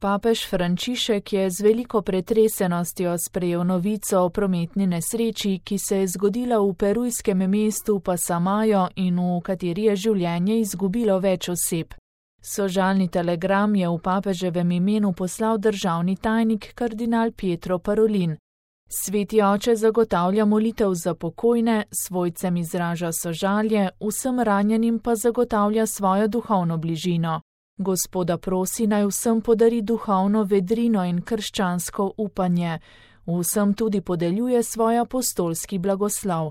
Papež Frančišek je z veliko pretresenostjo sprejel novico o prometni nesreči, ki se je zgodila v perujskem mestu Pasamajo in v kateri je življenje izgubilo več oseb. Sožalni telegram je v papeževem imenu poslal državni tajnik kardinal Pietro Parolin. Sveti oče zagotavlja molitev za pokojne, svojcem izraža sožalje, vsem ranjenim pa zagotavlja svojo duhovno bližino. Gospoda prosi, naj vsem podari duhovno vedrino in krščansko upanje, vsem tudi podeljuje svoj apostolski blagoslov.